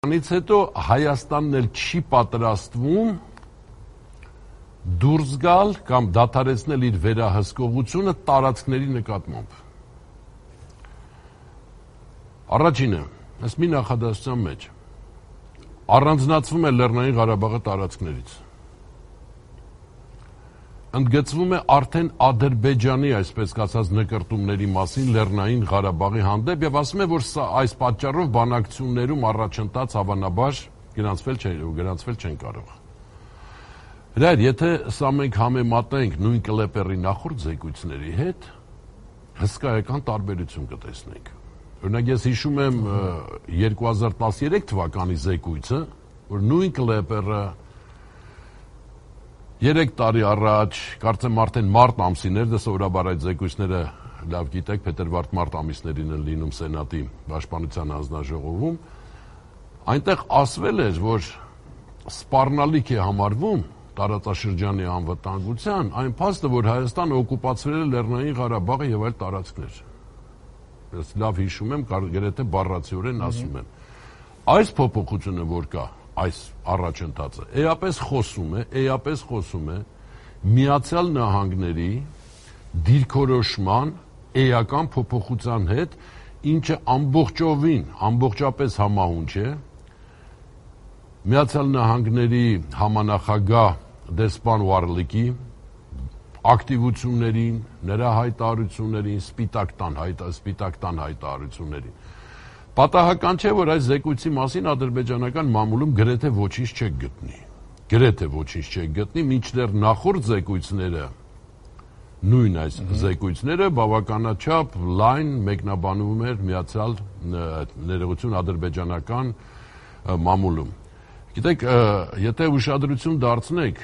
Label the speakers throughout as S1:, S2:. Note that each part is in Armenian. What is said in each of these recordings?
S1: Անից հետո Հայաստանն էլ չի պատրաստվում դուրս գալ կամ դադարեցնել իր վերահսկողությունը տարածքների նկատմամբ։ Առաջինը, ըստ մի նախադասության մեջ, առանձնացվում է Լեռնային Ղարաբաղը տարածքներից։ Ընդգծվում է արդեն Ադրբեջանի, այսպես ասած, նկրտումների մասին Լեռնային Ղարաբաղի հանդեպ եւ ասում է, որ այս պատճառով բանակցություններում առաջընթաց հավանաբար գրանցվել չեն կարող։ Հրայր, եթե սա մենք համեմատենք նույն Կլեպերի նախորդ զեկույցների հետ, հսկայական տարբերություն կտեսնենք։ Օրինակ ես հիշում եմ 2013 թվականի զեկույցը, որ նույն Կլեպերը 3 տարի առաջ, կարծեմ արդեն մարտ ամսին էր, դե սովորաբար այդ զեկույցները լավ գիտեք, փետրվար-մարտ ամիսներին են լինում Սենատի Պաշտպանության հանձնաժողովում, այնտեղ ասվել էր, որ սպառնալիք է համարվում տարածաշրջանի անվտանգության այն փաստը, որ Հայաստանը օկուպացրել է Լեռնային Ղարաբաղը եւ այլ տարածքներ։ Ես լավ հիշում եմ, գրեթե բառացիորեն ասում եմ։ Այս փոփոխությունը, որ կա, այս առաջընթացը էապես խոսում է Միացյալ Նահանգների դիրքորոշման էական փոփոխության հետ, ինչը ամբողջապես համահունչ է Միացյալ Նահանգների համանախագահ դեսպան Վարլիկի ակտիվություններին, նրա հայտարարություններին, սպիտակ տան հայտարարություններին։ Պատահական չէ, որ այս զեկույցի մասին ադրբեջանական մամուլում գրեթե ոչինչ չեք գտնի, մինչդեռ նախորդ զեկույցները, նույն այս զեկույցները բավականաչափ լայն մեկնաբանվում էր միացյալ ներողություն ադրբեջանական մամուլում։ Գիտեք, եթե ուշադրություն դարձնեք,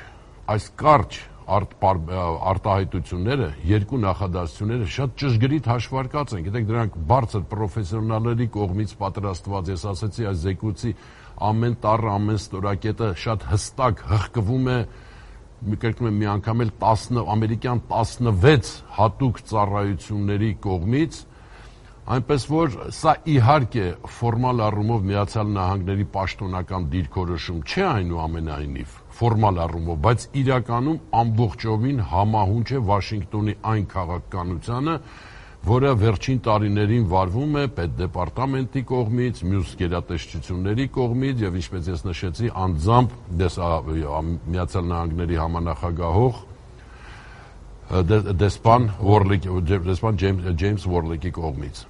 S1: այս կարճ արտահայտությունները, երկու նախադասությունները շատ ճշգրիտ հաշվարկած են, գիտեք, դրանք բարձր պրոֆեսիոնալների կողմից պատրաստված, ես ասացի, այս զեկույցի ամեն տառը, ամեն ստորակետը շատ հստակ հղկվում է, կրկնում եմ մի անգամ էլ ամերիկյան 16 հատուկ ծառայությունների կողմից, այնպես որ սա իհարկե ֆորմալ առումով Միացյալ Նահանգների պաշտոնական դիրքորոշում չէ այնուամենայնիվ, ֆորմալ առումով, բայց իրականում ամբողջովին համահունչ է Վաշինգտոնի այն քաղաքականությանը, որը վերջին տարիներին վարվում է պետդեպարտամենտի կողմից, մյուս գերատեսչությունների կողմից եւ ինչպես ես նշեցի, անձամբ Միացյալ Նահանգների համանախագահող դեսպան Ջեյմս Վորլիկի կողմից։